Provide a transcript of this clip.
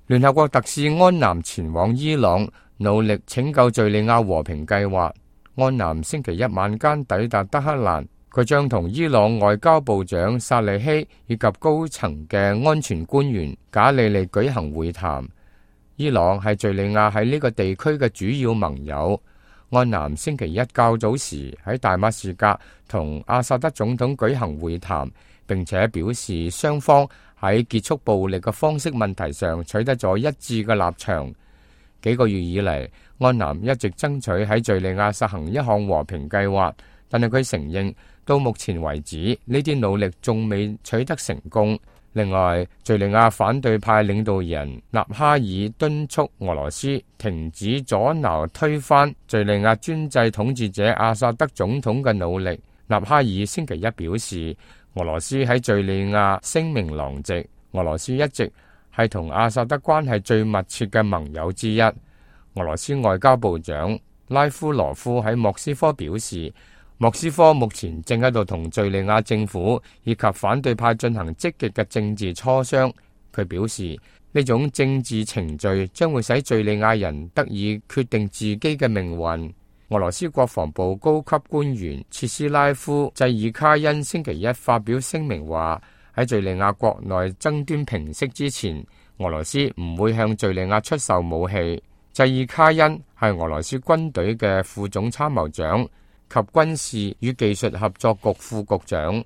聯合國特使安南前往伊朗，努力拯救敘利亞和平計劃。安南星期一晚間抵達德黑蘭，佢將同伊朗外交部長薩利希以及高層嘅安全官員賈里利舉行會談。伊朗係敘利亞喺呢個地區嘅主要盟友。安南星期一較早時喺大馬士革同阿薩德總統舉行會談，並且表示雙方喺結束暴力嘅方式問題上取得咗一致嘅立場。幾個月以嚟，安南一直爭取喺敘利亞實行一項和平計劃，但係佢承認到目前為止呢啲努力仲未取得成功。另外，敘利亞反對派領導人納哈爾敦促俄羅斯停止阻撓推翻敘利亞專制統治者阿薩德總統嘅努力。納哈爾星期一表示，俄羅斯喺敘利亞聲名狼藉，俄羅斯一直係同阿薩德關係最密切嘅盟友之一。俄羅斯外交部長拉夫羅夫喺莫斯科表示，莫斯科目前正喺度同敘利亞政府以及反對派進行積極嘅政治磋商。佢表示，呢種政治程序將會使敘利亞人得以決定自己嘅命運。俄羅斯國防部高級官員切斯拉夫濟爾卡恩星期一發表聲明話，喺敘利亞國內爭端平息之前，俄羅斯唔會向敘利亞出售武器。濟爾卡恩係俄羅斯軍隊嘅副總參謀長及軍事與技術合作局副局長。